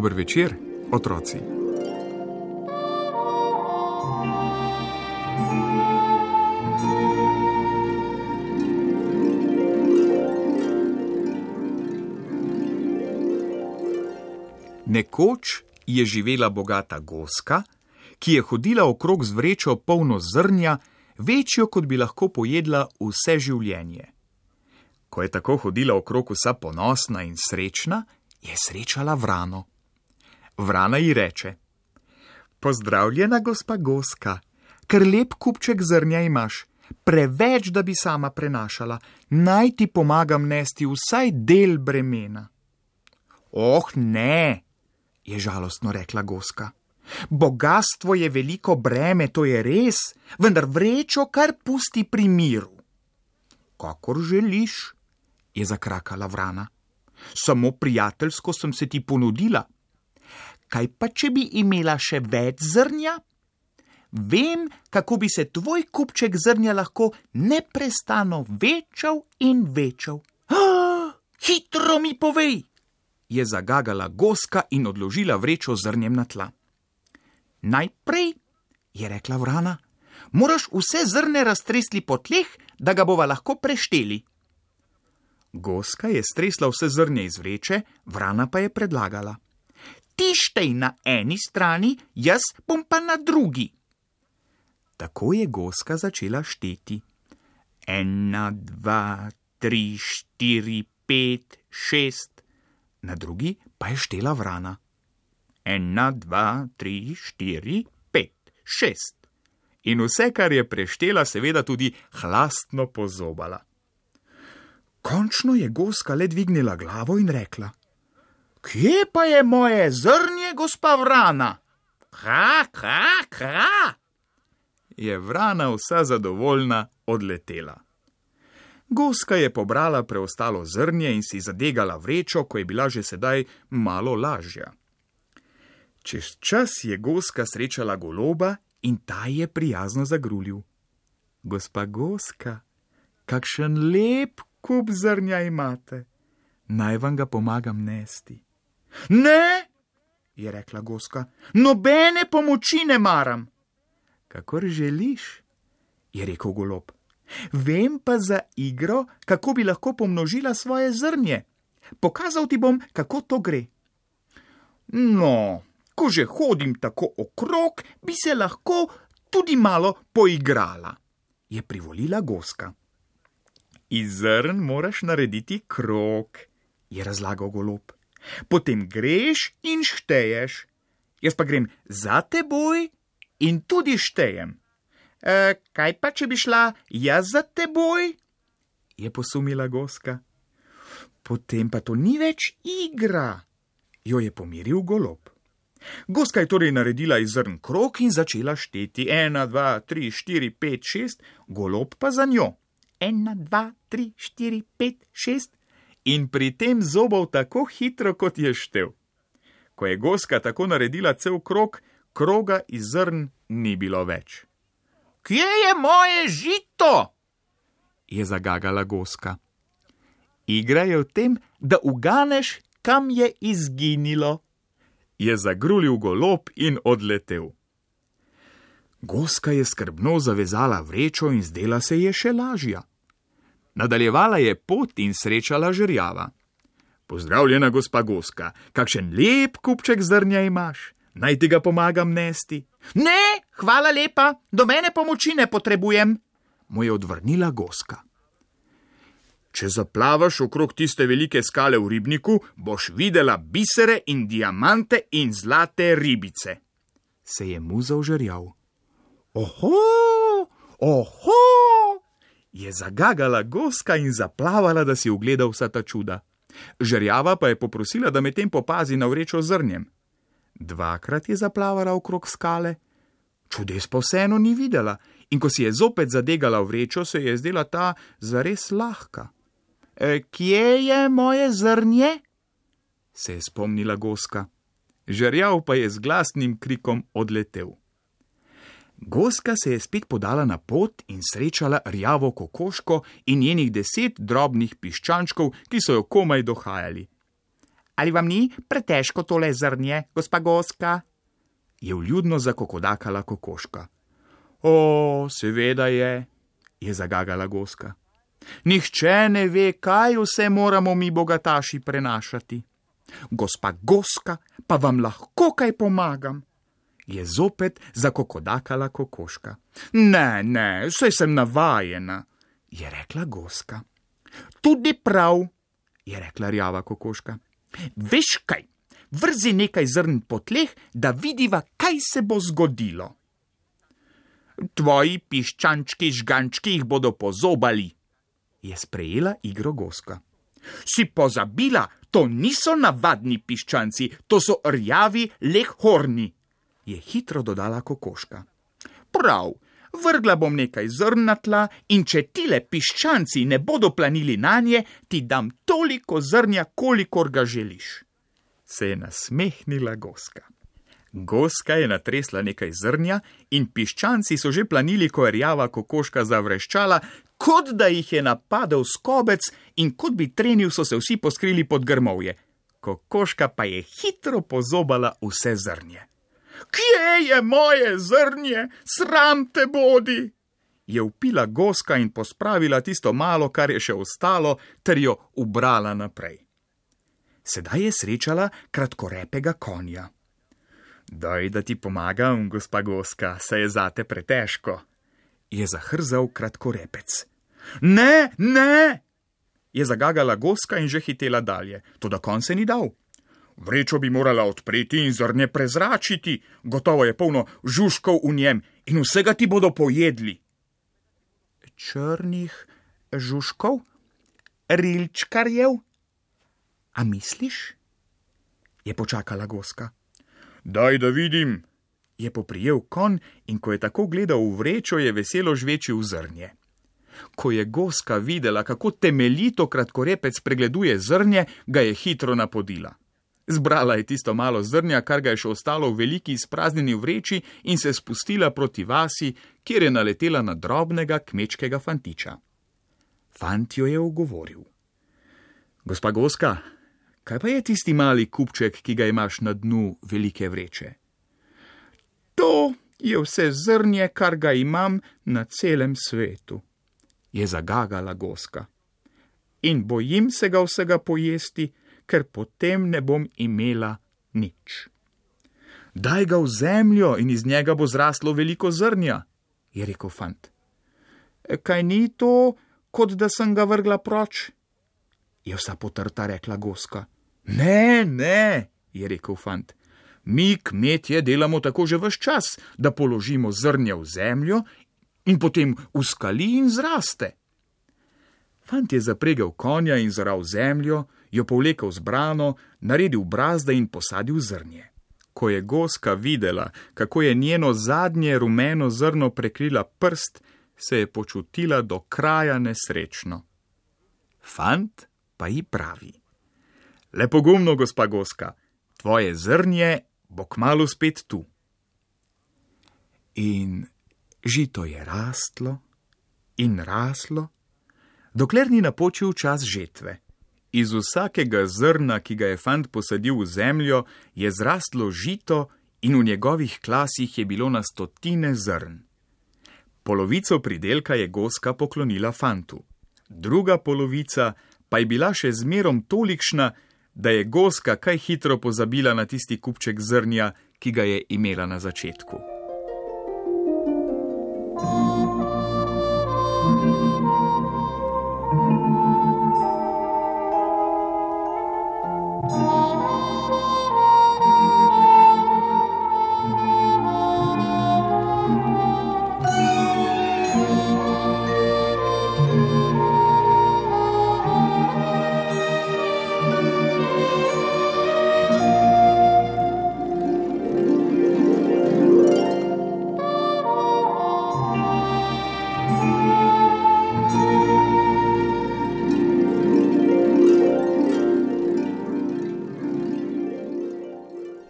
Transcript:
Dober večer, otroci. Nekoč je živela bogata goska, ki je hodila okrog z vrečo polno zrnja, večjo, kot bi lahko pojedla vse življenje. Ko je tako hodila okrog vsa ponosna in srečna, je srečala vrano. Vrana ji reče: Pozdravljena, gospa goska, kar lep kupček zrnja imaš, preveč, da bi sama prenašala, naj ti pomagam nesti vsaj del bremena. Oh, ne, je žalostno rekla goska. Bogastvo je veliko breme, to je res, vendar vrečo kar pusti pri miru. Kakor želiš, je zakrakala vrana. Samo prijateljsko sem se ti ponudila. Kaj pa, če bi imela še več zrnja? Vem, kako bi se tvoj kupček zrnja lahko neprestano večal in večal. Hitro mi povej, je zagagala goska in odložila vrečo zrnjem na tla. Najprej, je rekla vrana, moraš vse zrne raztresli po tleh, da ga bova lahko prešteli. Goska je stresla vse zrnje iz vreče, vrana pa je predlagala: Ti štej na eni strani, jaz bom pa na drugi. Tako je goska začela šteti. 1, 2, 3, 4, 5, 6. Na drugi pa je štela vrana. 1, 2, 3, 4, 5, 6. In vse, kar je preštela, seveda tudi hlastno pozobala. Končno je goska le dvignila glavo in rekla: Kje pa je moje zrnje, gospa vrana? Kra. Je vrana vsa zadovoljna odletela. Goska je pobrala preostalo zrnje in si zadegala vrečo, ko je bila že sedaj malo lažja. Čez čas je goska srečala goloba in ta je prijazno zagrulil. Gospa goska, kakšen lep kup zrnja imate, naj vam ga pomagam nesti. Ne, je rekla goska, nobene pomoči ne maram. Kakor želiš, je rekel golob. Vem pa za igro, kako bi lahko pomnožila svoje zrnje. Pokazal ti bom, kako to gre. No, ko že hodim tako okrog, bi se lahko tudi malo poigrala, je privolila goska. Iz zrn moraš narediti krog, je razlagal golob. Potem greš in šteješ. Jaz pa grem za teboj in tudi štejem. Kaj pa, če bi šla jaz za teboj? Je posumila goska. Potem pa to ni več igra, jo je pomiril golob. Goska je torej naredila iz zrn krog in začela šteti. 1, 2, 3, 4, 5, 6, golob pa za njo. 1, 2, 3, 4, 5, 6 in pri tem zobal tako hitro, kot je štel. Ko je goska tako naredila cel krog, kroga iz zrn ni bilo več. Kje je moje žito? Je zagagala goska. Igra je v tem, da uganeš, kam je izginilo, je zagrulil golob in odletel. Goska je skrbno zavezala vrečo in zdela se je še lažja. Nadaljevala je pot in srečala žerjava. Pozdravljena, gospa goska, kakšen lep kupček zrnja imaš, naj ti ga pomagam nesti. Ne, hvala lepa, do mene pomoči ne potrebujem, mu je odvrnila goska. Če zaplavaš okrog tiste velike skale v ribniku, boš videla bisere in diamante in zlate ribice, se je muzal žerjav. Oho, je zagagala goska in zaplavala, da si ugleda vsa ta čuda. Žerjava pa je poprosila, da medtem popazi na vrečo zrnjem. 2krat je zaplavala okrog skale, čudes pa vseeno ni videla, in ko si je zopet zadegala vrečo, se je zdela ta zares lahka. Kje je moje zrnje? Se je spomnila goska. Žerjav pa je z glasnim krikom odletel. Goska se je spet podala na pot in srečala rjavo kokoško in njenih 10 drobnih piščančkov, ki so jo komaj dohajali. Ali vam ni pretežko tole zrnje, gospa Goska? Je vljudno zakokodakala kokoška. O, seveda je zagagala Goska. Nihče ne ve, kaj vse moramo mi bogataši prenašati. Gospa Goska, pa vam lahko kaj pomagam? Je zopet zakokodakala kokoška. Ne, saj sem navajena, je rekla Goska. Tudi prav, je rekla rjava kokoška. Veš kaj, vrzi nekaj zrn po tleh, da vidiva, kaj se bo zgodilo. Tvoji piščančki žgančki jih bodo pozobali, je sprejela igro Goska. Si pozabila, to niso navadni piščanci, to so rjavi lehorni, je hitro dodala kokoška. Prav, vrgla bom nekaj zrn na tla in če tile piščanci ne bodo planili nanje, ti dam toliko zrnja, kolikor ga želiš. Se je nasmehnila Goska. Goska je natresla nekaj zrnja in piščanci so že planili, ko je rjava kokoška zavreščala, kot da jih je napadel skobec in kot bi trenil, so se vsi poskrili pod grmovje. Kokoška pa je hitro pozobala vse zrnje. Kje je moje zrnje? Sram te bodi! Je vpila Goska in pospravila tisto malo, kar je še ostalo, ter jo ubrala naprej. Sedaj je srečala kratkorepega konja. Daj, da ti pomagam, gospa Goska, saj je zate pretežko, je zahrzal kratkorepec. Ne, je zagagala Goska in že hitela dalje, toda konj se ni dal. Vrečo bi morala odpreti in zrnje prezračiti, gotovo je polno žužkov v njem in vsega ti bodo pojedli. Črnih žužkov? Rilčkarjev? A misliš? Je počakala Goska. Daj, da vidim, je poprijel konj in ko je tako gledal v vrečo, je veselo žvečil zrnje. Ko je Goska videla, kako temeljito kratkorepec pregleduje zrnje, ga je hitro napodila. Zbrala je tisto malo zrnja, kar ga je še ostalo v veliki izpraznjeni vreči in se spustila proti vasi, kjer je naletela na drobnega kmečkega fantiča. Fant jo je ugovoril. Gospa Goska, kaj pa je tisti mali kupček, ki ga imaš na dnu velike vreče? To je vse zrnje, kar ga imam na celem svetu, je zagagala Goska. In bojim se ga vsega pojesti, ker potem ne bom imela nič. Daj ga v zemljo in iz njega bo zraslo veliko zrnja, je rekel fant. Kaj ni to, kot da sem ga vrgla proč? Je vsa potrta rekla Goska. Ne, je rekel fant. Mi, kmetje, delamo tako že ves čas, da položimo zrnje v zemljo in potem uskali in zraste. Fant je zapregel konja in zoral zemljo, jo povlekel z brano, naredil brazde in posadil zrnje. Ko je Goska videla, kako je njeno zadnje rumeno zrno prekrila prst, se je počutila do kraja nesrečno. Fant pa ji pravi. Le pogumno, gospa Goska, tvoje zrnje bo kmalu spet tu. In žito je rastlo in raslo, dokler ni napočil čas žetve. Iz vsakega zrna, ki ga je fant posadil v zemljo, je zrastlo žito in v njegovih klasih je bilo na stotine zrn. Polovico pridelka je Goska poklonila fantu. Druga polovica pa je bila še zmerom tolikšna, da je Goska kaj hitro pozabila na tisti kupček zrnja, ki ga je imela na začetku.